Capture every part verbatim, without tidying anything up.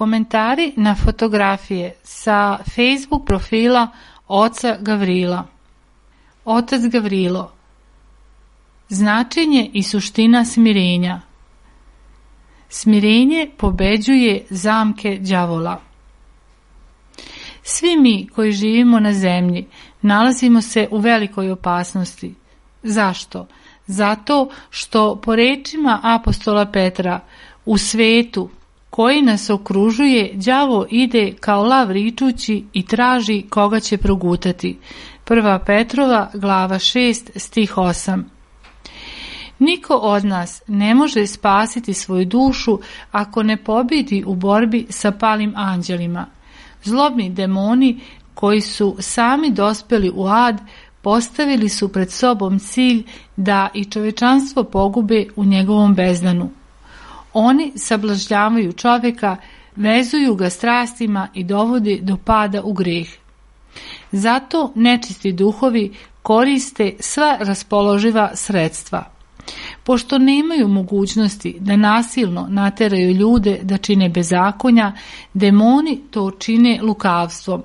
Komentari na fotografije sa Facebook profila oca Gavrila. Otac Gavrilo. Značenje i suština smirenja. Smirenje pobeđuje zamke đavola. Svi mi koji živimo na zemlji nalazimo se u velikoj opasnosti. Zašto? Zato što po rečima apostola Petra u svetu koji nas okružuje, đavo ide kao lav ričući i traži koga će progutati. Prva Petrova, glava šest, stih osam. Niko od nas ne može spasiti svoju dušu ako ne pobjedi u borbi sa palim anđelima. Zlobni demoni koji su sami dospeli u ad postavili su pred sobom cilj da i čovečanstvo pogube u njegovom bezdanu. Oni sablažnjavaju čovjeka, vezuju ga strastima i dovode do pada u greh. Zato nečisti duhovi koriste sva raspoloživa sredstva. Pošto nemaju mogućnosti da nasilno nateraju ljude da čine bezakonja, demoni to čine lukavstvom.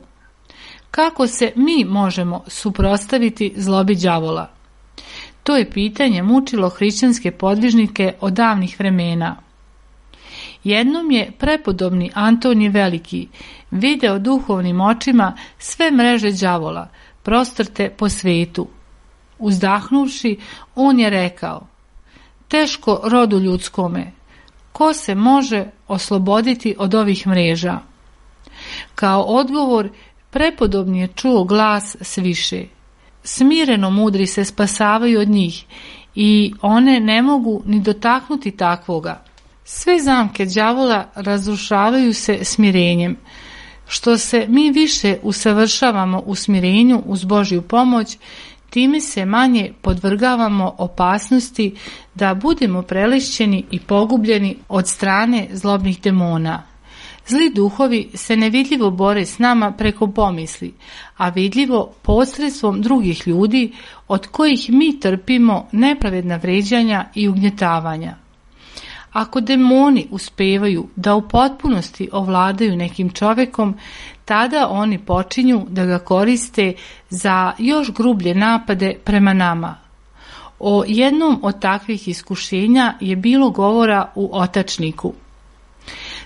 Kako se mi možemo suprotstaviti zlobi đavola? To je pitanje mučilo hrišćanske podvižnike od davnih vremena. Jednom je prepodobni Antonije Veliki video duhovnim očima sve mreže đavola prostrte po svetu. Uzdahnuvši, on je rekao: teško rodu ljudskome, ko se može osloboditi od ovih mreža? Kao odgovor, prepodobni je čuo glas sviše: smireno mudri se spasavaju od njih i one ne mogu ni dotaknuti takvoga. Sve zamke đavola razrušavaju se smirenjem. Što se mi više usavršavamo u smirenju uz Božju pomoć, time se manje podvrgavamo opasnosti da budemo prelišćeni i pogubljeni od strane zlobnih demona. Zli duhovi se nevidljivo bore s nama preko pomisli, a vidljivo posredstvom drugih ljudi od kojih mi trpimo nepravedna vređanja i ugnjetavanja. Ako demoni uspevaju da u potpunosti ovladaju nekim čovekom, tada oni počinju da ga koriste za još grublje napade prema nama. O jednom od takvih iskušenja je bilo govora u Otačniku.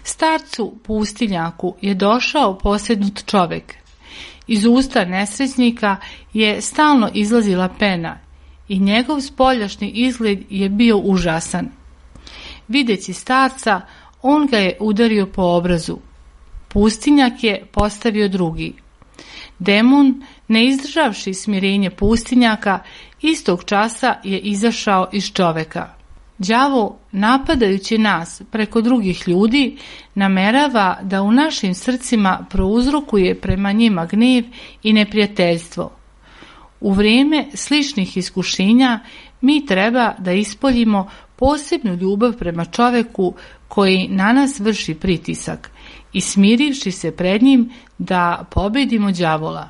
Starcu pustinjaku je došao posjednut čovek. Iz usta nesrećnika je stalno izlazila pena i njegov spoljašnji izgled je bio užasan. Videći starca, on ga je udario po obrazu. Pustinjak je postavio drugi. Demon, ne izdržavši smirenje pustinjaka, istog časa je izašao iz čoveka. Đavo, napadajući nas preko drugih ljudi, namerava da u našim srcima prouzrokuje prema njima gnev i neprijateljstvo. U vrijeme sličnih iskušenja mi treba da ispoljimo posebnu ljubav prema čoveku koji na nas vrši pritisak i smirivši se pred njim da pobedimo đavola.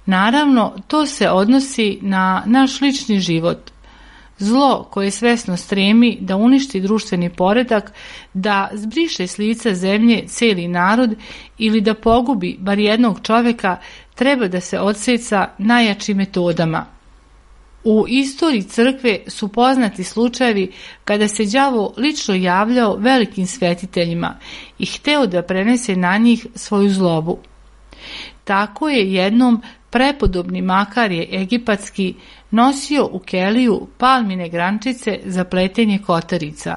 Naravno, to se odnosi na naš lični život. Zlo koje svesno stremi da uništi društveni poredak, da zbriše s lica zemlje cijeli narod ili da pogubi bar jednog čoveka, treba da se odseca najjačim metodama. U istoriji crkve su poznati slučajevi kada se đavo lično javljao velikim svetiteljima i hteo da prenese na njih svoju zlobu. Tako je jednom prepodobni Makarije egipatski nosio u keliju palmine grančice za pletenje kotarica.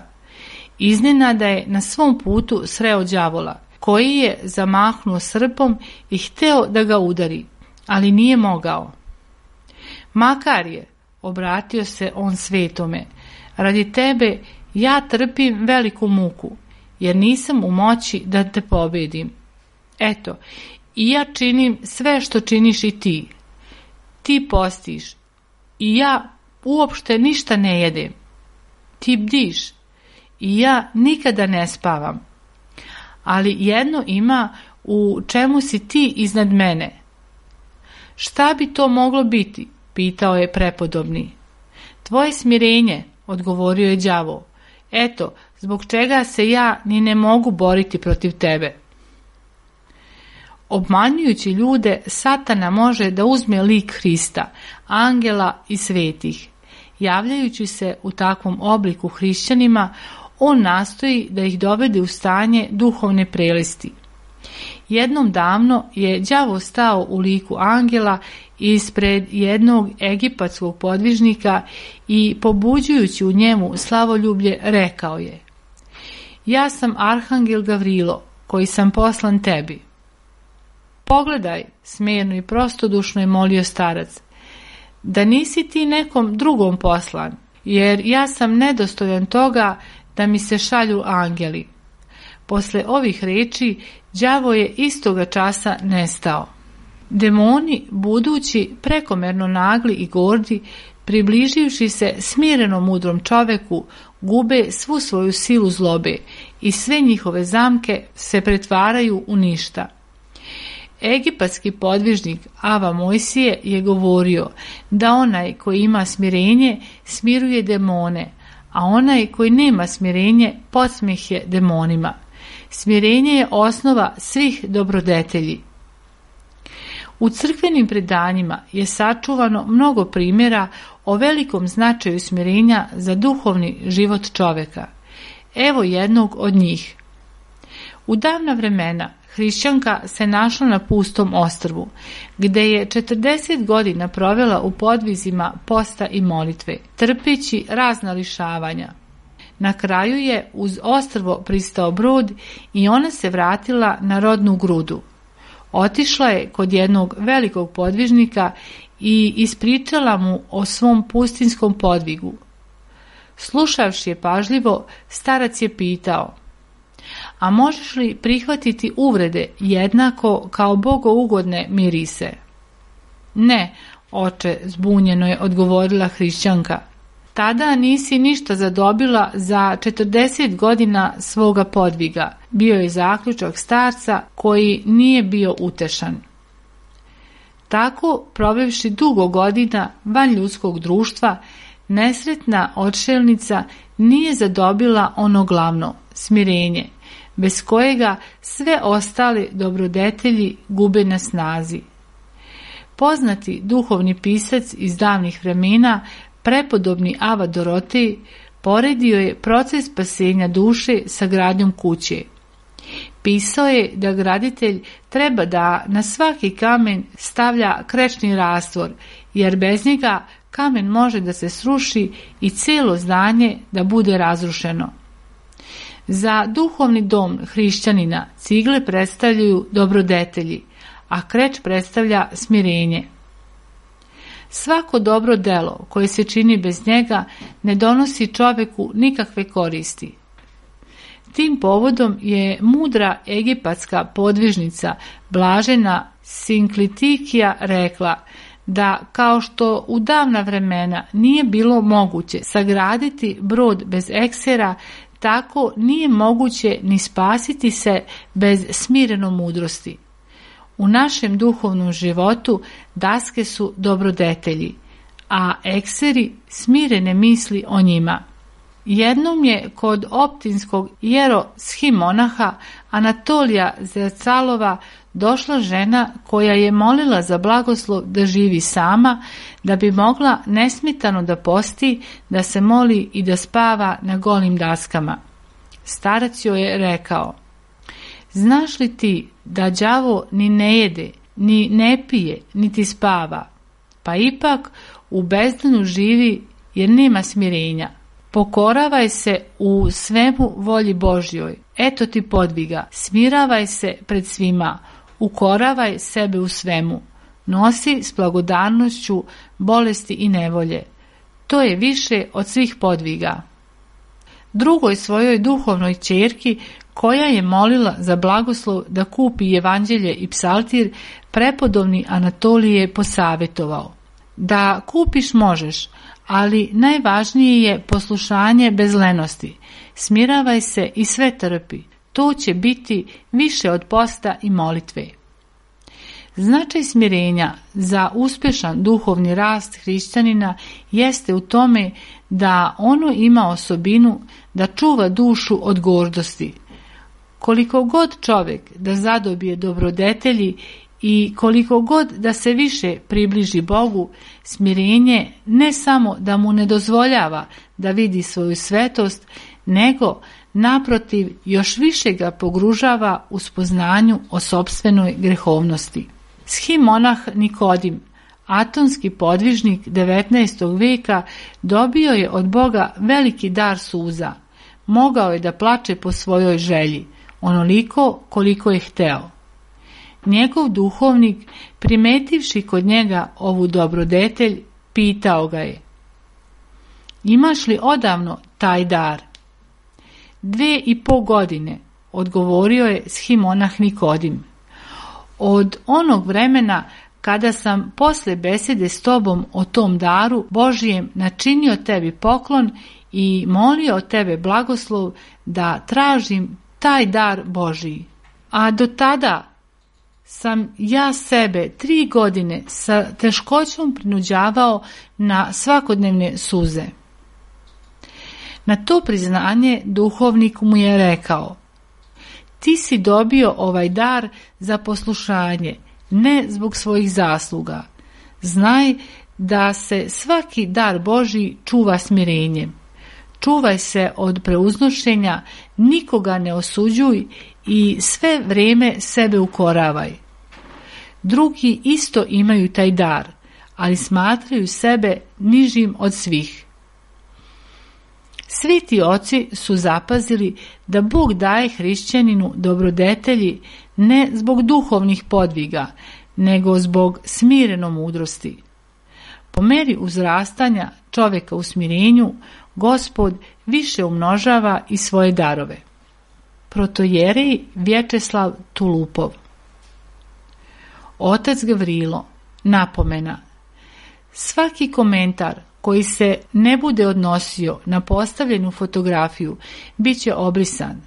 Iznenada je na svom putu sreo đavola, koji je zamahnuo srpom i hteo da ga udari, ali nije mogao. Makarije, obratio se on svetome, radi tebe ja trpim veliku muku, jer nisam u moći da te pobedim. Eto, i ja činim sve što činiš i ti. Ti postiš i ja uopšte ništa ne jedem. Ti bdiš i ja nikada ne spavam. Ali jedno ima u čemu si ti iznad mene. Šta bi to moglo biti? Pitao je prepodobni. Tvoje smirenje, odgovorio je đavo. Eto, zbog čega se ja ni ne mogu boriti protiv tebe. Obmanjujući ljude, Satana može da uzme lik Hrista, angela i svetih. Javljajući se u takvom obliku hrišćanima, on nastoji da ih dovede u stanje duhovne prelisti. Jednom davno je đavo stao u liku angela ispred jednog egipatskog podvižnika i pobuđujući u njemu slavoljublje rekao je: ja sam arhangel Gavrilo, koji sam poslan tebi. Pogledaj, smerno i prostodušno je molio starac, da nisi ti nekom drugom poslan, jer ja sam nedostojan toga da mi se šalju angeli. Posle ovih reči, đavo je istoga časa nestao. Demoni, budući prekomerno nagli i gordi, približivši se smireno mudrom čoveku, gube svu svoju silu zlobe i sve njihove zamke se pretvaraju u ništa. Egipatski podvižnik Ava Mojsije je govorio da onaj koji ima smirenje smiruje demone, a onaj koji nema smirenje podsmeh je demonima. Smirenje je osnova svih dobrodetelji. U crkvenim predanjima je sačuvano mnogo primjera o velikom značaju smirenja za duhovni život čoveka. Evo jednog od njih. U davna vremena hrišćanka se našla na pustom ostrvu, gde je četrdeset godina provela u podvizima posta i molitve, trpeći razna lišavanja. Na kraju je uz ostrvo pristao brod i ona se vratila na rodnu grudu. Otišla je kod jednog velikog podvižnika i ispričala mu o svom pustinskom podvigu. Slušavši je pažljivo, starac je pitao: a možeš li prihvatiti uvrede jednako kao bogougodne mirise? Ne, oče, zbunjeno je odgovorila hrišćanka. Tada nisi ništa zadobila za četrdeset godina svoga podviga, bio je zaključak starca koji nije bio utešan. Tako, provevši dugo godina van ljudskog društva, nesretna odšelnica nije zadobila ono glavno, smirenje, bez kojega sve ostale dobrodetelji gube na snazi. Poznati duhovni pisac iz davnih vremena, prepodobni Ava Dorotej, poredio je proces spasenja duše sa gradnjom kuće. Pisao je da graditelj treba da na svaki kamen stavlja krečni rastvor, jer bez njega kamen može da se sruši i cijelo zdanje da bude razrušeno. Za duhovni dom hrišćanina cigle predstavljaju dobrodetelji, a kreč predstavlja smirenje. Svako dobro delo koje se čini bez njega ne donosi čoveku nikakve koristi. Tim povodom je mudra egipatska podvižnica blažena Sinklitikija rekla da kao što u davna vremena nije bilo moguće sagraditi brod bez eksera, tako nije moguće ni spasiti se bez smireno mudrosti. U našem duhovnom životu daske su dobrodetelji, a ekseri smirene misli o njima. Jednom je kod optinskog jeroshimonaha Anatolija Zercalova došla žena koja je molila za blagoslov da živi sama, da bi mogla nesmetano da posti, da se moli i da spava na golim daskama. Starac joj je rekao: znaš li ti da đavo ni ne jede, ni ne pije, niti spava, pa ipak u bezdanu živi jer nema smirenja. Pokoravaj se u svemu volji Božjoj, eto ti podviga, smiravaj se pred svima, ukoravaj sebe u svemu, nosi s blagodarnošću bolesti i nevolje. To je više od svih podviga. Drugoj svojoj duhovnoj ćerki, koja je molila za blagoslov da kupi evanđelje i psaltir, prepodobni Anatolije je posavjetovao: da kupiš možeš, ali najvažnije je poslušanje bez lenosti. Smiravaj se i sve trpi. To će biti više od posta i molitve. Značaj smirenja za uspješan duhovni rast hrišćanina jeste u tome da ono ima osobinu da čuva dušu od gordosti. Koliko god čovjek da zadobije dobrodetelji i koliko god da se više približi Bogu, smirenje ne samo da mu ne dozvoljava da vidi svoju svetost, nego naprotiv još više ga pogružava u spoznanju o sopstvenoj grehovnosti. Shimonah Nikodim, atonski podvižnik devetnaestog veka, dobio je od Boga veliki dar suza. Mogao je da plače po svojoj želji, onoliko koliko je hteo. Njegov duhovnik, primetivši kod njega ovu dobrodetelj, pitao ga je: imaš li odavno taj dar? Dve i po godine, odgovorio je Shimonah Nikodim. Od onog vremena kada sam posle besede s tobom o tom daru Božijem načinio tebi poklon i molio tebe blagoslov da tražim taj dar Božiji. A do tada, sam ja sebe tri godine sa teškoćom prinuđavao na svakodnevne suze. Na to priznanje duhovnik mu je rekao: ti si dobio ovaj dar za poslušanje, ne zbog svojih zasluga. Znaj da se svaki dar Božji čuva smirenjem. Čuvaj se od preuznošenja, nikoga ne osuđuj i sve vrijeme sebe ukoravaj. Drugi isto imaju taj dar, ali smatraju sebe nižim od svih. Sveti oci su zapazili da Bog daje hrišćaninu dobrodetelji ne zbog duhovnih podviga, nego zbog smireno mudrosti. Po meri uzrastanja čovjeka u smirenju, Gospod više umnožava i svoje darove. Protojerej Vječeslav Tulupov. Otac Gavrilo, napomena: svaki komentar koji se ne bude odnosio na postavljenu fotografiju bit će obrisan.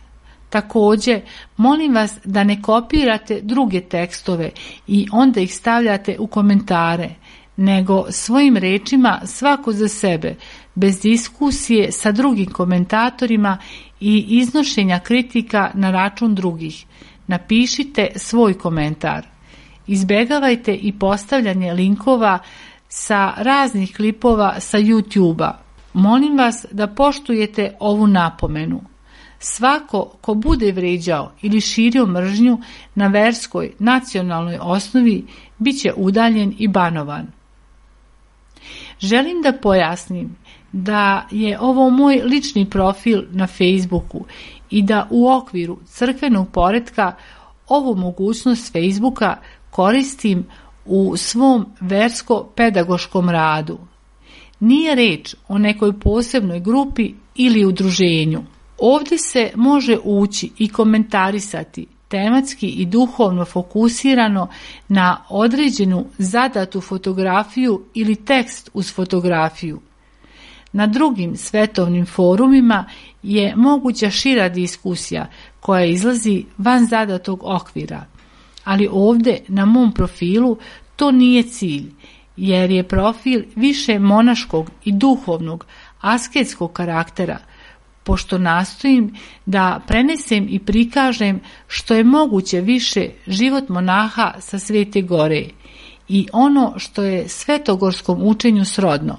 Također, molim vas da ne kopirate druge tekstove i onda ih stavljate u komentare, nego svojim rečima svako za sebe, bez diskusije sa drugim komentatorima i iznošenja kritika na račun drugih. Napišite svoj komentar. Izbjegavajte i postavljanje linkova sa raznih klipova sa YouTube-a. Molim vas da poštujete ovu napomenu. Svako ko bude vrijeđao ili širio mržnju na verskoj, nacionalnoj osnovi bit će udaljen i banovan. Želim da pojasnim da je ovo moj lični profil na Facebooku i da u okviru crkvenog poretka ovu mogućnost Facebooka koristim u svom versko-pedagoškom radu. Nije reč o nekoj posebnoj grupi ili udruženju. Ovdje se može ući i komentarisati tematski i duhovno fokusirano na određenu zadatu fotografiju ili tekst uz fotografiju. Na drugim svetovnim forumima je moguća šira diskusija koja izlazi van zadatog okvira, ali ovdje na mom profilu to nije cilj, jer je profil više monaškog i duhovnog, asketskog karaktera, pošto nastojim da prenesem i prikažem što je moguće više život monaha sa Svete Gore i ono što je svetogorskom učenju srodno.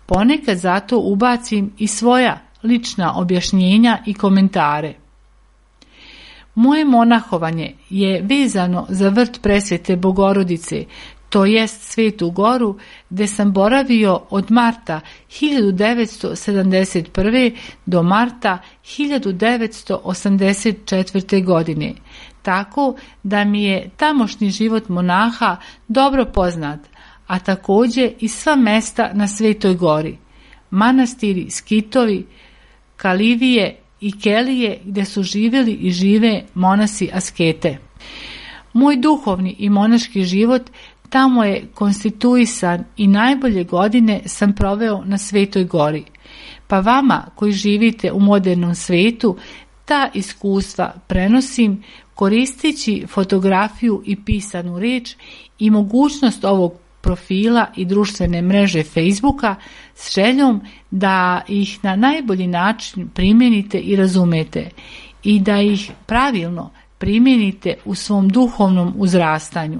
Ponekad zato ubacim i svoja lična objašnjenja i komentare. Moje monahovanje je vezano za vrt Presvete Bogorodice, to jest Svetu Goru, gdje sam boravio od marta hiljadu devetsto sedamdeset prve. do marta hiljadu devetsto osamdeset četvrte. godine, tako da mi je tamošnji život monaha dobro poznat, a također i sva mesta na Svetoj Gori, manastiri, skitovi, kalivije i kelije gdje su živjeli i žive monasi askete. Moj duhovni i monaški život tamo je konstituisan i najbolje godine sam proveo na Svetoj Gori. Pa vama koji živite u modernom svetu, ta iskustva prenosim koristeći fotografiju i pisanu riječ i mogućnost ovog profila i društvene mreže Facebooka s željom da ih na najbolji način primijenite i razumete i da ih pravilno primijenite u svom duhovnom uzrastanju.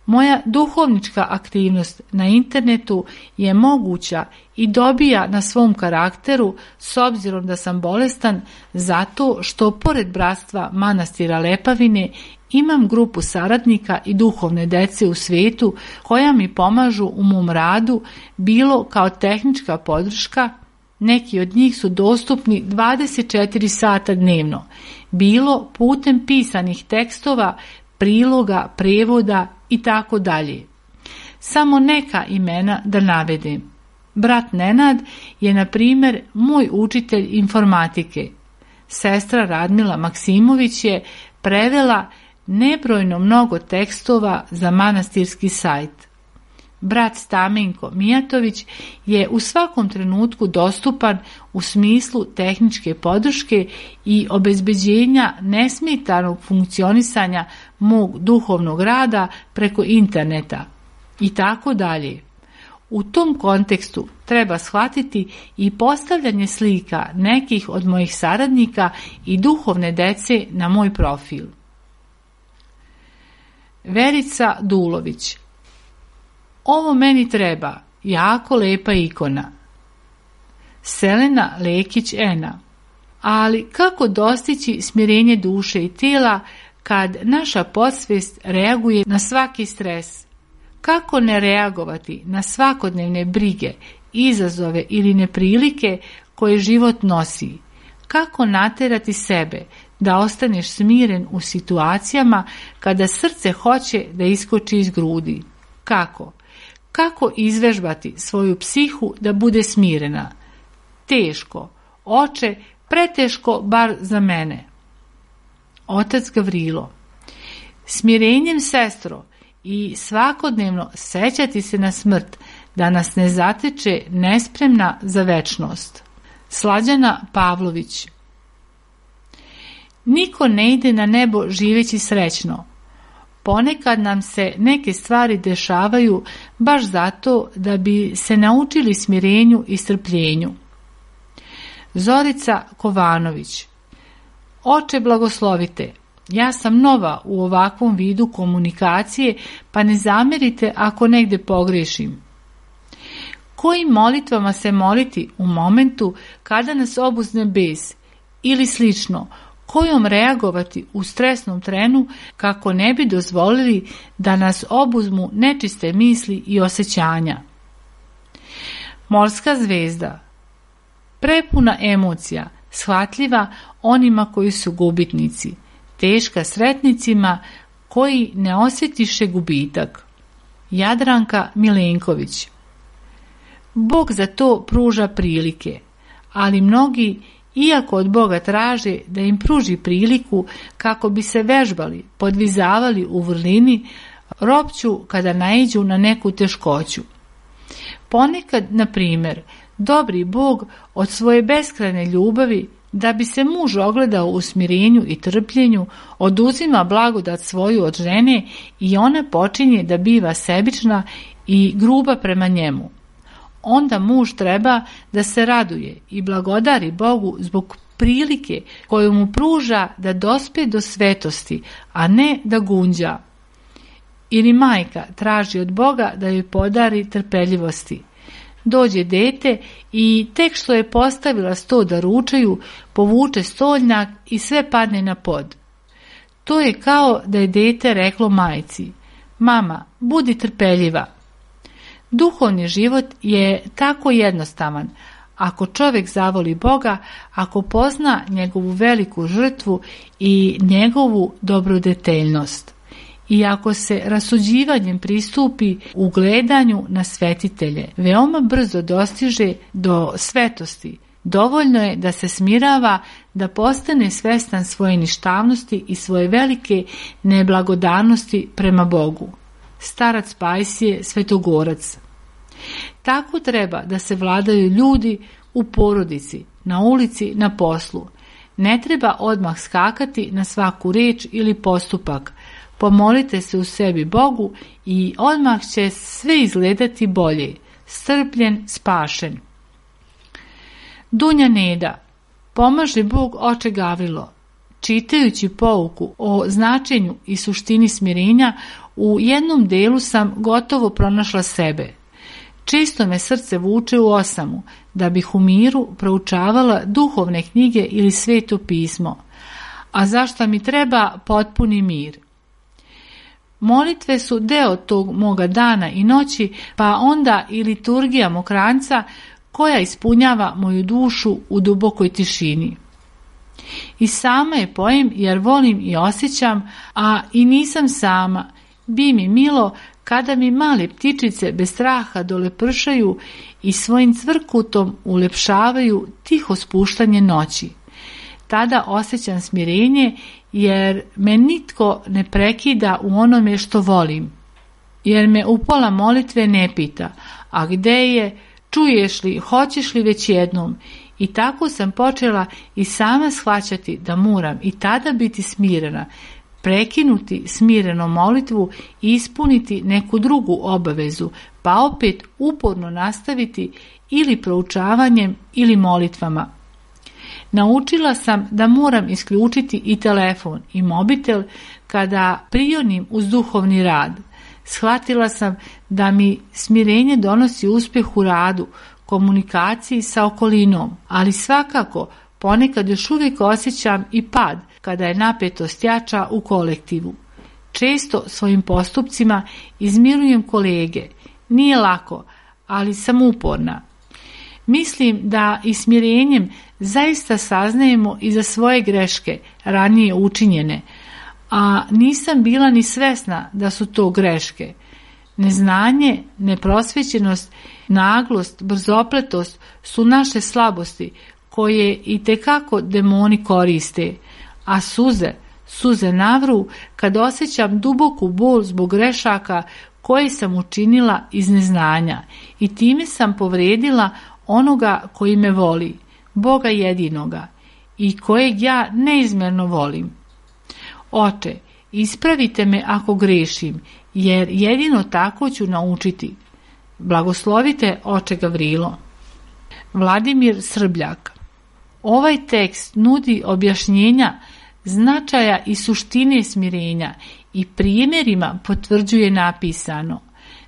Moja duhovnička aktivnost na internetu je moguća i dobija na svom karakteru s obzirom da sam bolestan, zato što pored bratstva manastira Lepavine imam grupu saradnika i duhovne dece u svijetu koja mi pomažu u mom radu, bilo kao tehnička podrška, neki od njih su dostupni dvadeset četiri sata dnevno, bilo putem pisanih tekstova, priloga, prevoda i tako dalje. Samo neka imena da navedem. Brat Nenad je, na primjer, moj učitelj informatike. Sestra Radmila Maksimović je prevela nebrojno mnogo tekstova za manastirski sajt. brat Stamenko Mijatović, je u svakom trenutku dostupan u smislu tehničke podrške i obezbeđenja nesmetanog funkcionisanja mog duhovnog rada preko interneta i tako dalje. U tom kontekstu treba shvatiti i postavljanje slika nekih od mojih saradnika i duhovne dece na moj profil. Verica Dulović: ovo meni treba, jako lepa ikona. Selena Lekić-Ena: ali kako dostići smirenje duše i tijela kad naša podsvijest reaguje na svaki stres? Kako ne reagovati na svakodnevne brige, izazove ili neprilike koje život nosi? Kako naterati sebe da ostaneš smiren u situacijama kada srce hoće da iskoči iz grudi? Kako? Kako izvežbati svoju psihu da bude smirena? Teško, oče, preteško bar za mene. Otac Gavrilo: smirenjem, sestro, i svakodnevno sećati se na smrt, da nas ne zateče nespremna za večnost. Slađana Pavlović: niko ne ide na nebo živeći srećno. Ponekad nam se neke stvari dešavaju baš zato da bi se naučili smirenju i strpljenju. Zorica Kovanović: oče, blagoslovite. Ja sam nova u ovakvom vidu komunikacije, pa ne zamerite ako negde pogrešim. Kojim molitvama se moliti u momentu kada nas obuzne bes ili slično, kojom reagovati u stresnom trenu kako ne bi dozvolili da nas obuzmu nečiste misli i osjećanja. Morska zvezda: prepuna emocija, shvatljiva onima koji su gubitnici, teška sretnicima koji ne osjetiše gubitak. Jadranka Milenković: Bog za to pruža prilike, ali mnogi, iako od Boga traže da im pruži priliku kako bi se vežbali, podvizavali u vrlini, ropću kada naiđu na neku teškoću. Ponekad, na primjer, dobri Bog od svoje beskrajne ljubavi, da bi se muž ogledao u smirenju i trpljenju, oduzima blagodat svoju od žene i ona počinje da biva sebična i gruba prema njemu. Onda muž treba da se raduje i blagodari Bogu zbog prilike koju mu pruža da dospe do svetosti, a ne da gunđa. Ili majka traži od Boga da joj podari trpeljivosti. Dođe dete i tek što je postavila sto da ručaju, povuče stolnjak i sve padne na pod. To je kao da je dete reklo majci: mama, budi trpeljiva. Duhovni život je tako jednostavan. Ako čovjek zavoli Boga, ako pozna njegovu veliku žrtvu i njegovu dobrodeteljnost, i ako se rasuđivanjem pristupi u gledanju na svetitelje, veoma brzo dostiže do svetosti. Dovoljno je da se smirava, da postane svestan svoje ništavnosti i svoje velike neblagodarnosti prema Bogu. Starac Pajsije Svetogorac: tako treba da se vladaju ljudi u porodici, na ulici, na poslu. Ne treba odmah skakati na svaku reč ili postupak. Pomolite se u sebi Bogu i odmah će sve izgledati bolje. Strpljen, spašen. Dunja Neda: pomaže Bog, oče Gavrilo. Čitajući pouku o značenju i suštini smirenja, u jednom delu sam gotovo pronašla sebe. Često me srce vuče u osamu, da bih u miru proučavala duhovne knjige ili sveto pismo. A zašto mi treba potpuni mir? Molitve su deo tog moga dana i noći, pa onda i liturgija mokranca koja ispunjava moju dušu u dubokoj tišini. I sama je pojem jer volim i osjećam, a i nisam sama. Bi mi milo kada mi male ptičice bez straha dolepršaju i svojim cvrkutom ulepšavaju tiho spuštanje noći. Tada osjećam smirenje jer me nitko ne prekida u onome što volim jer me u pola molitve ne pita, a gde je, čuješ li, hoćeš li već jednom. I tako sam počela i sama shvaćati da moram i tada biti smirena, prekinuti smireno molitvu i ispuniti neku drugu obavezu, pa opet uporno nastaviti ili proučavanjem ili molitvama. Naučila sam da moram isključiti i telefon i mobitel kada prionim uz duhovni rad. Shvatila sam da mi smirenje donosi uspjeh u radu, komunikaciji sa okolinom, ali svakako ponekad još uvijek osjećam i pad kada je napetost jača u kolektivu. Često svojim postupcima izmirujem kolege. Nije lako, ali sam uporna. Mislim da i smirenjem zaista saznajemo i za svoje greške ranije učinjene, a nisam bila ni svesna da su to greške. Neznanje, neprosvećenost, naglost, brzopletost su naše slabosti koje i tekako demoni koriste, a suze, suze navru kad osjećam duboku bol zbog grešaka koje sam učinila iz neznanja i time sam povredila onoga koji me voli, Boga jedinoga, i kojeg ja neizmjerno volim. Oče, ispravite me ako grešim, jer jedino tako ću naučiti. Blagoslovite, oče Gavrilo. Vladimir Srbljak. Ovaj tekst nudi objašnjenja značaja i suštine smirenja i primjerima potvrđuje napisano.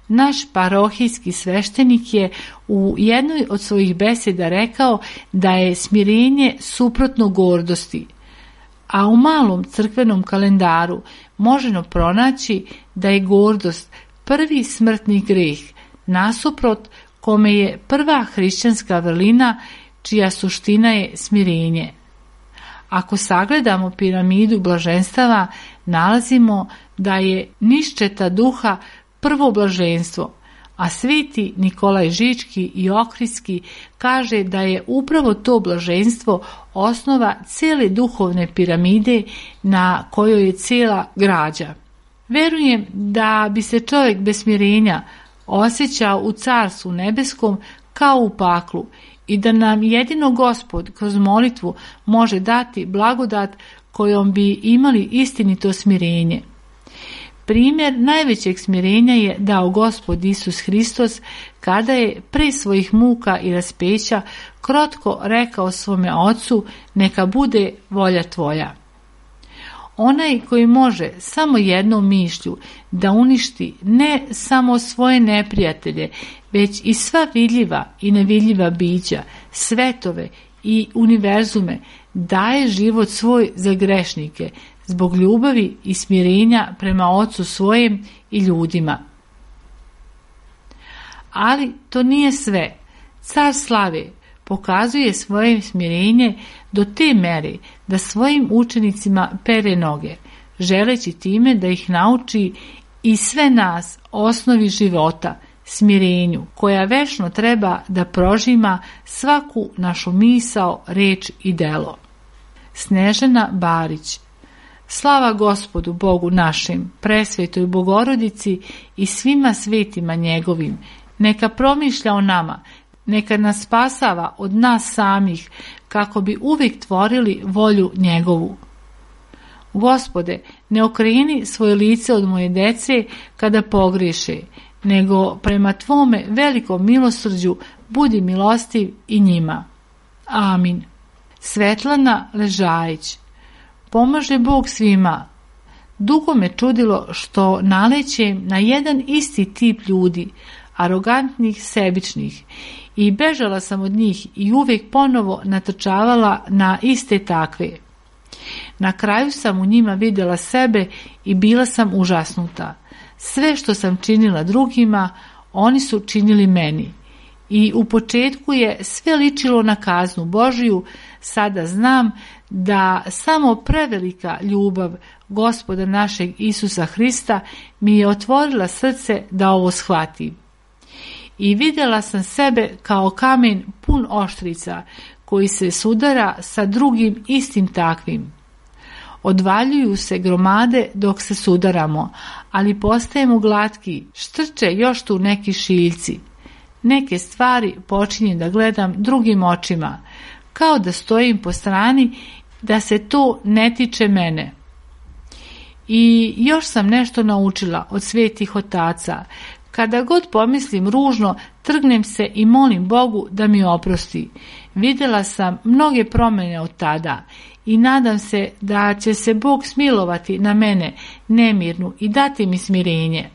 Naš parohijski sveštenik je u jednoj od svojih beseda rekao da je smirenje suprotno gordosti, a u malom crkvenom kalendaru možemo pronaći da je gordost prvi smrtni greh, nasuprot kome je prva hrišćanska vrlina čija suština je smirenje. Ako sagledamo piramidu blaženstava, nalazimo da je niščeta duha prvo blaženstvo, a sveti Nikolaj Žički i Ohridski kaže da je upravo to blaženstvo osnova cijele duhovne piramide na kojoj je cijela građa. Verujem da bi se čovjek bez smirenja osjećao u carstvu nebeskom kao u paklu i da nam jedino Gospod kroz molitvu može dati blagodat kojom bi imali istinito smirenje. Primjer najvećeg smirenja je dao Gospod Isus Hristos kada je pre svojih muka i raspeća krotko rekao svome Ocu: neka bude volja tvoja. Onaj koji može samo jednom mišlju da uništi ne samo svoje neprijatelje, već i sva vidljiva i nevidljiva bića, svetove i univerzume, daje život svoj za grešnike, zbog ljubavi i smirenja prema Ocu svojem i ljudima. Ali to nije sve. Car slave pokazuje svoje smirenje do te mere da svojim učenicima pere noge, želeći time da ih nauči i sve nas osnovi života, smirenju, koja večno treba da prožima svaku našu misao, reč i delo. Snežana Barić. Slava Gospodu Bogu našim, presvetoj Bogorodici i svima svetima njegovim, neka promišlja o nama, neka nas spasava od nas samih, kako bi uvijek tvorili volju njegovu. Gospode, ne okreni svoje lice od moje dece kada pogriješe, nego prema tvome velikom milosrđu budi milostiv i njima. Amin. Svetlana Ležajić. Pomaže Bog svima. Dugo me čudilo što nalećem na jedan isti tip ljudi, arogantnih, sebičnih, i bežala sam od njih i uvijek ponovo natrčavala na iste takve. Na kraju sam u njima vidjela sebe i bila sam užasnuta. Sve što sam činila drugima, oni su činili meni. I u početku je sve ličilo na kaznu Božiju, sada znam da samo prevelika ljubav Gospoda našeg Isusa Hrista mi je otvorila srce da ovo shvatim. I vidjela sam sebe kao kamen pun oštrica koji se sudara sa drugim istim takvim. Odvaljuju se gromade dok se sudaramo, ali postajemo glatki, štrče još tu neki šiljci. Neke stvari počinjem da gledam drugim očima, kao da stojim po strani, da se to ne tiče mene. I još sam nešto naučila od svetih otaca. Kada god pomislim ružno, trgnem se i molim Bogu da mi oprosti. Vidjela sam mnoge promjene od tada i nadam se da će se Bog smilovati na mene nemirnu i dati mi smirenje.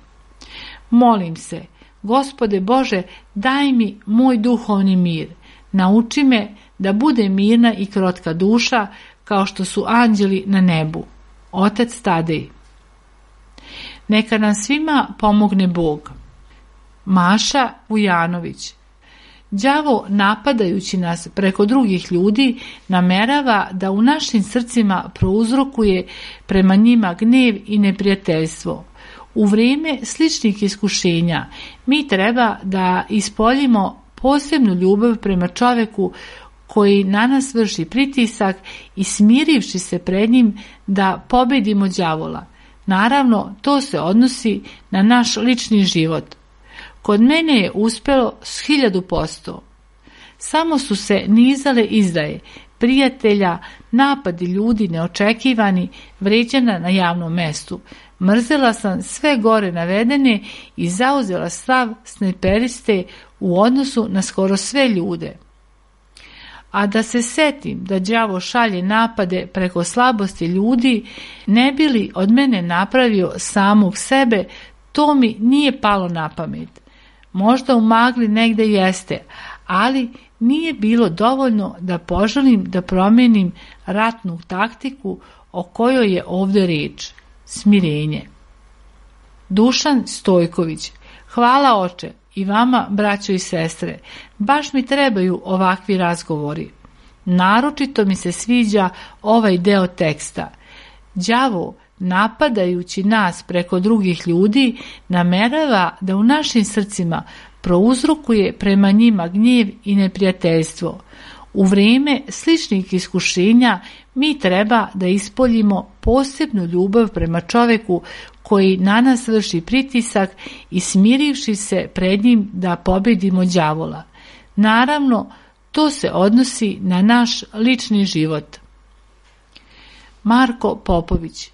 Molim se, Gospode Bože, daj mi moj duhovni mir. Nauči me da bude mirna i krotka duša kao što su anđeli na nebu. Otac Tadej. Neka nam svima pomogne Bog. Maša Vujanović. Đavo, napadajući nas preko drugih ljudi, namerava da u našim srcima prouzrokuje prema njima gnev i neprijateljstvo. U vrijeme sličnih iskušenja mi treba da ispoljimo posebnu ljubav prema čovjeku koji na nas vrši pritisak i smirivši se pred njim da pobedimo đavola. Naravno, to se odnosi na naš lični život. Kod mene je uspjelo s hiljadu posto. Samo su se nizale izdaje, prijatelja, napadi ljudi neočekivani, vređana na javnom mestu. Mrzela sam sve gore navedene i zauzela stav snajperiste u odnosu na skoro sve ljude. A da se setim da đavo šalje napade preko slabosti ljudi, ne bi li od mene napravio samog sebe, to mi nije palo na pamet. Možda u magli negde jeste, ali nije bilo dovoljno da poželim da promijenim ratnu taktiku o kojoj je ovdje riječ. Smirenje. Dušan Stojković. Hvala oče i vama, braćo i sestre. Baš mi trebaju ovakvi razgovori. Naročito mi se sviđa ovaj deo teksta. Đavo, napadajući nas preko drugih ljudi, namerava da u našim srcima prouzrokuje prema njima gnjev i neprijateljstvo. U vrijeme sličnih iskušenja mi treba da ispoljimo posebnu ljubav prema čovjeku koji na nas vrši pritisak i smirivši se pred njim da pobedimo đavola. Naravno, to se odnosi na naš lični život. Marko Popović.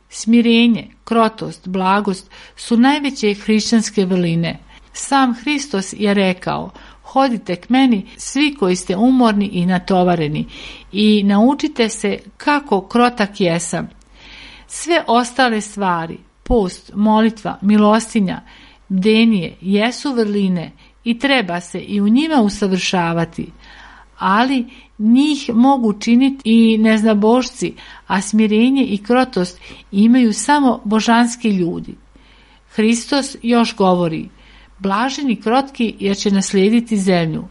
Smirenje, krotost, blagost su najveće hrišćanske vrline. Sam Hristos je rekao: hodite k meni svi koji ste umorni i natovareni i naučite se kako krotak jesam. Sve ostale stvari, post, molitva, milostinja, bdenije, jesu vrline i treba se i u njima usavršavati, ali njih mogu činiti i neznabošci, a smirenje i krotost imaju samo božanski ljudi. Hristos još govori: blaženi krotki jer će naslijediti zemlju.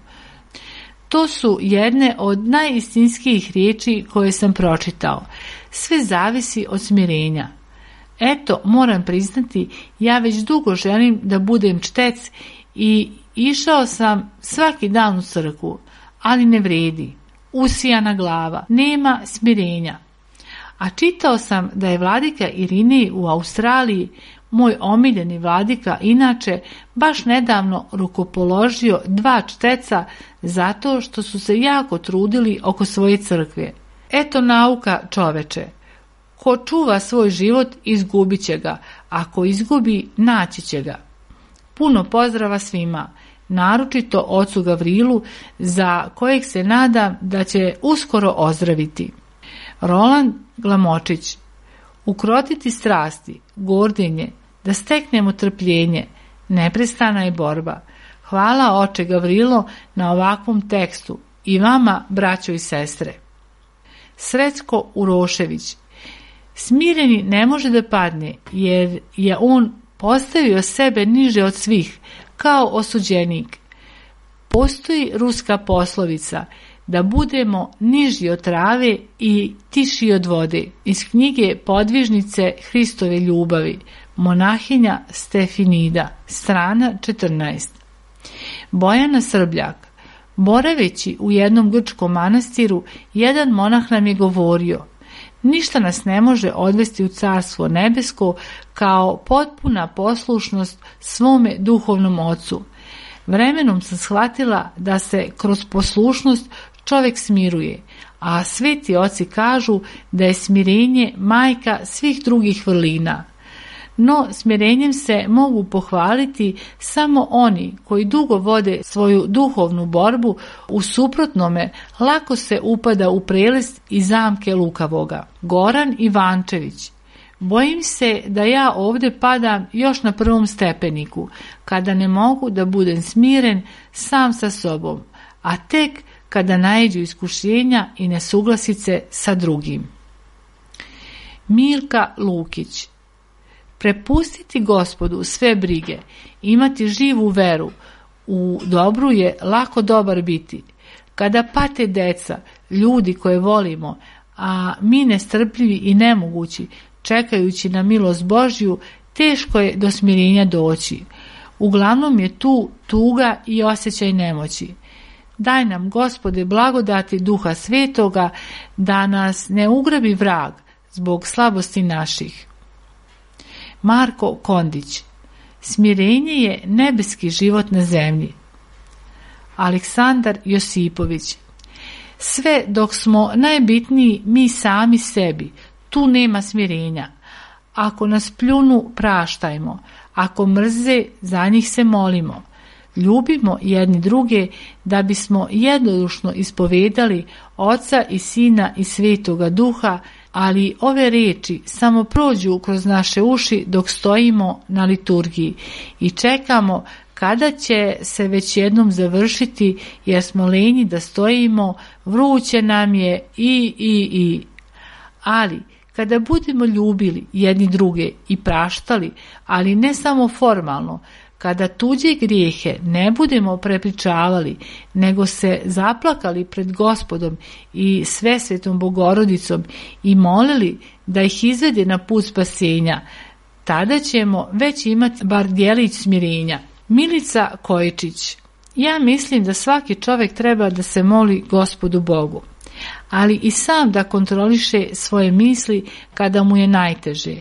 To su jedne od najistinskijih riječi koje sam pročitao. Sve zavisi od smirenja. Eto, moram priznati, ja već dugo želim da budem čtec i išao sam svaki dan u crkvu, ali ne vredi. Usijana glava, nema smirenja. A čitao sam da je vladika Irinej u Australiji, moj omiljeni vladika, inače baš nedavno rukopoložio dva čteca zato što su se jako trudili oko svoje crkve. Eto nauka, čoveče. Ko čuva svoj život, izgubit će ga. Ako izgubi, naći će ga. Puno pozdrava svima, naročito ocu Gavrilu, za kojeg se nadam da će uskoro ozdraviti. Roland Glamočić. Ukrotiti strasti, gordenje, da steknemo trpljenje, neprestana je borba. Hvala oče Gavrilo na ovakvom tekstu i vama, braćo i sestre. Srećko Urošević. Smireni ne može da padne, jer je on postavio sebe niže od svih, kao osuđenik. Postoji ruska poslovica da budemo niži od trave i tiši od vode, iz knjige Podvižnice Hristove ljubavi, monahinja Stefinida, strana četrnaest. Bojana Srbljak. Boraveći u jednom grčkom manastiru, jedan monah nam je govorio: Ništa nas ne može odvesti u Carstvo nebesko kao potpuna poslušnost svome duhovnom ocu. Vremenom sam shvatila da se kroz poslušnost čovjek smiruje, a sveti oci kažu da je smirenje majka svih drugih vrlina. No, smirenjem se mogu pohvaliti samo oni koji dugo vode svoju duhovnu borbu, u suprotnome lako se upada u prelest i zamke lukavoga. Goran Ivančević: bojim se da ja ovdje padam još na prvom stepeniku, kada ne mogu da budem smiren sam sa sobom, a tek kada naiđu iskušenja i nesuglasice sa drugim. Milka Lukić: prepustiti Gospodu sve brige, imati živu veru u dobru je lako dobar biti. Kada pate deca, ljudi koje volimo, a mi nestrpljivi i nemogući, čekajući na milost Božju, teško je do smirenja doći. Uglavnom je tu tuga i osjećaj nemoći. Daj nam, Gospode, blagodati Duha Svetoga, da nas ne ugrabi vrag zbog slabosti naših. Marko Kondić: smirenje je nebeski život na zemlji. Aleksandar Josipović: sve dok smo najbitniji mi sami sebi, tu nema smirenja. Ako nas pljunu, praštajmo. Ako mrze, za njih se molimo. Ljubimo jedni druge da bismo jednodušno ispovedali Oca i Sina i Svetoga Duha, ali ove riječi samo prođu kroz naše uši dok stojimo na liturgiji i čekamo kada će se već jednom završiti, jer smo lenji da stojimo, vruće nam je i, i, i. Ali kada budemo ljubili jedni druge i praštali, ali ne samo formalno, kada tuđe grijehe ne budemo prepričavali, nego se zaplakali pred Gospodom i Svesvetom Bogorodicom i molili da ih izvede na put spasenja, tada ćemo već imati bar djelić smirenja. Milica Kojičić: ja mislim da svaki čovjek treba da se moli Gospodu Bogu, ali i sam da kontroliše svoje misli kada mu je najteže.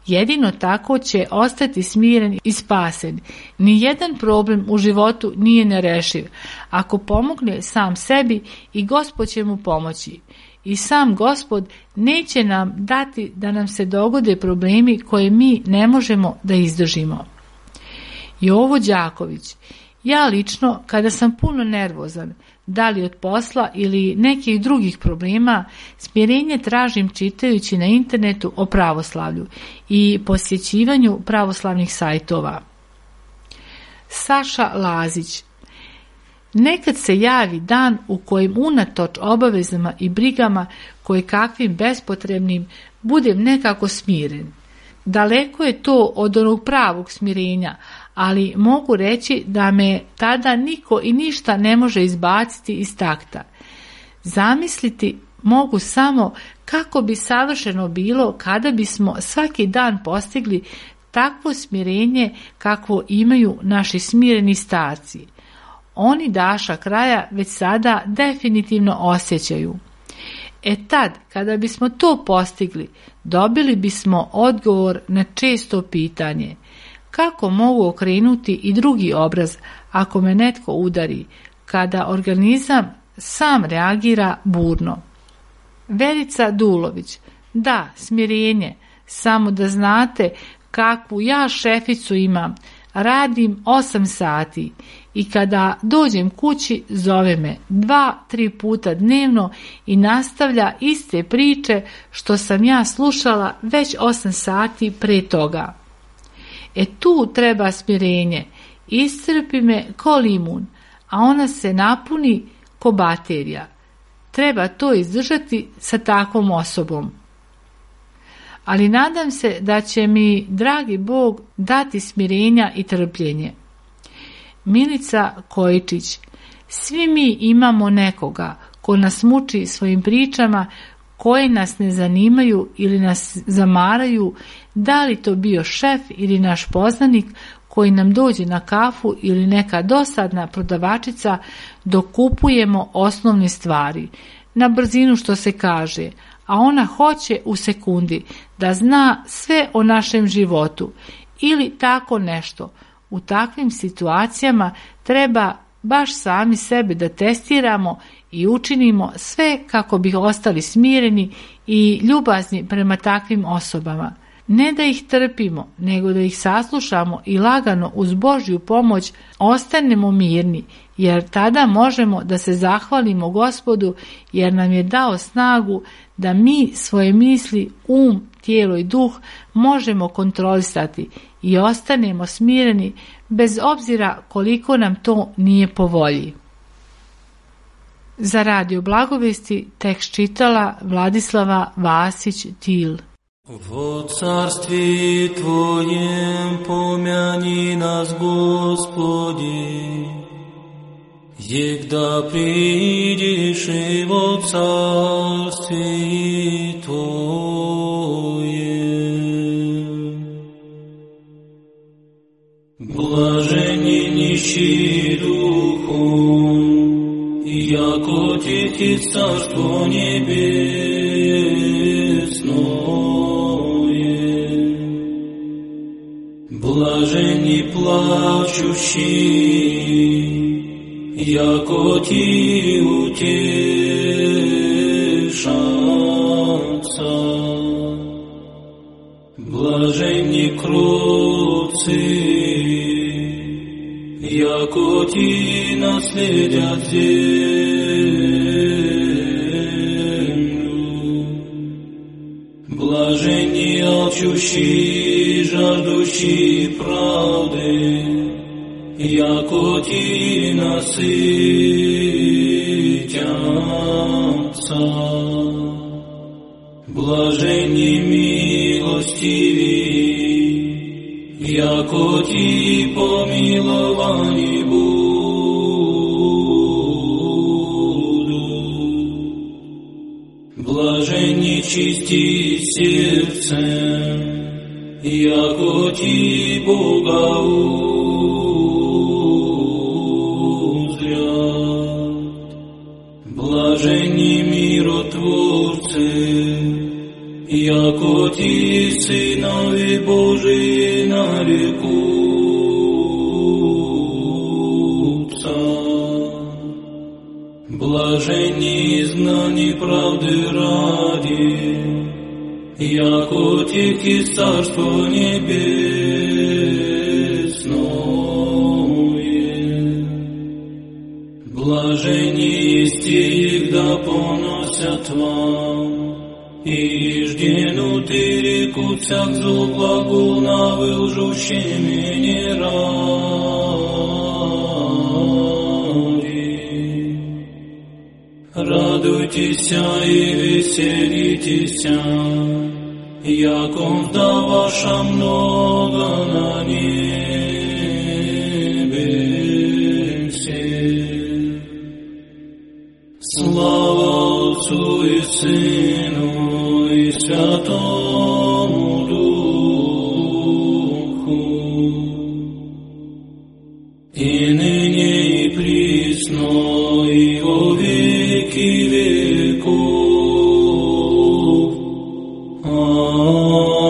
Jedino tako će ostati smiren i spasen. Nijedan problem u životu nije nerešiv. Ako pomogne sam sebi, i Gospod će mu pomoći. I sam Gospod neće nam dati da nam se dogode problemi koje mi ne možemo da izdržimo. Jovo Đaković: ja lično, kada sam puno nervozan, da li od posla ili nekih drugih problema, smirenje tražim čitajući na internetu o pravoslavlju i posjećivanju pravoslavnih sajtova. Saša Lazić: nekad se javi dan u kojem unatoč obavezama i brigama koje kakvim bespotrebnim budem nekako smiren. Daleko je to od onog pravog smirenja, ali mogu reći da me tada niko i ništa ne može izbaciti iz takta. Zamisliti mogu samo kako bi savršeno bilo kada bismo svaki dan postigli takvo smirenje kakvo imaju naši smireni starci. Oni daša kraja već sada definitivno osjećaju. E tad, kada bismo to postigli, dobili bismo odgovor na često pitanje: kako mogu okrenuti i drugi obraz ako me netko udari, kada organizam sam reagira burno? Verica Dulović: da, smirenje, samo da znate kakvu ja šeficu imam, radim osam sati i kada dođem kući zove me dva, tri puta dnevno i nastavlja iste priče što sam ja slušala već osam sati pre toga. E tu treba smirenje, iscrpi me ko limun, a ona se napuni ko baterija. Treba to izdržati sa takvom osobom. Ali nadam se da će mi dragi Bog dati smirenja i trpljenje. Milica Kojičić: svi mi imamo nekoga ko nas muči svojim pričama koje nas ne zanimaju ili nas zamaraju, da li to bio šef ili naš poznanik koji nam dođe na kafu ili neka dosadna prodavačica dok kupujemo osnovne stvari, na brzinu što se kaže, a ona hoće u sekundi da zna sve o našem životu ili tako nešto. U takvim situacijama treba baš sami sebe da testiramo i učinimo sve kako bi ostali smireni i ljubazni prema takvim osobama. Ne da ih trpimo, nego da ih saslušamo i lagano uz Božju pomoć ostanemo mirni, jer tada možemo da se zahvalimo Gospodu jer nam je dao snagu da mi svoje misli, um, tijelo i duh možemo kontrolisati i ostanemo smireni bez obzira koliko nam to nije po volji. Za Radio Blagovesti tekst čitala Vladislava Vasić-Til. Во царстве Твоем помяни нас, Господи, егда придешь и во царстве Твоем. Блажени нищие духом, яко тихи царство небесное. Блаженни плачущие, яко ти утешатся. Блаженни кроткие, яко ти наследят землю. Блаженни алчущие, жаждущие правды, яко ти насытятся. Блаженни милостивые, яко ти помиловани будут. Блаженни чисти сердцем, яко ти Бога узрят. Блаженни миротворцы, яко ти сынови Божии нарекутся. Блаженни изгнани правды ради, яко тихи царство небесное. Блаженни есть те, да поносят вам, и жденуты реку всяк зло глагол на вылжущими не ради. Радуйтесь и веселитесь, яко мзда ваша много на небесе. Слава Отцу и Сыну и Святому Духу, и ныне и присно и во веки веков. Amen.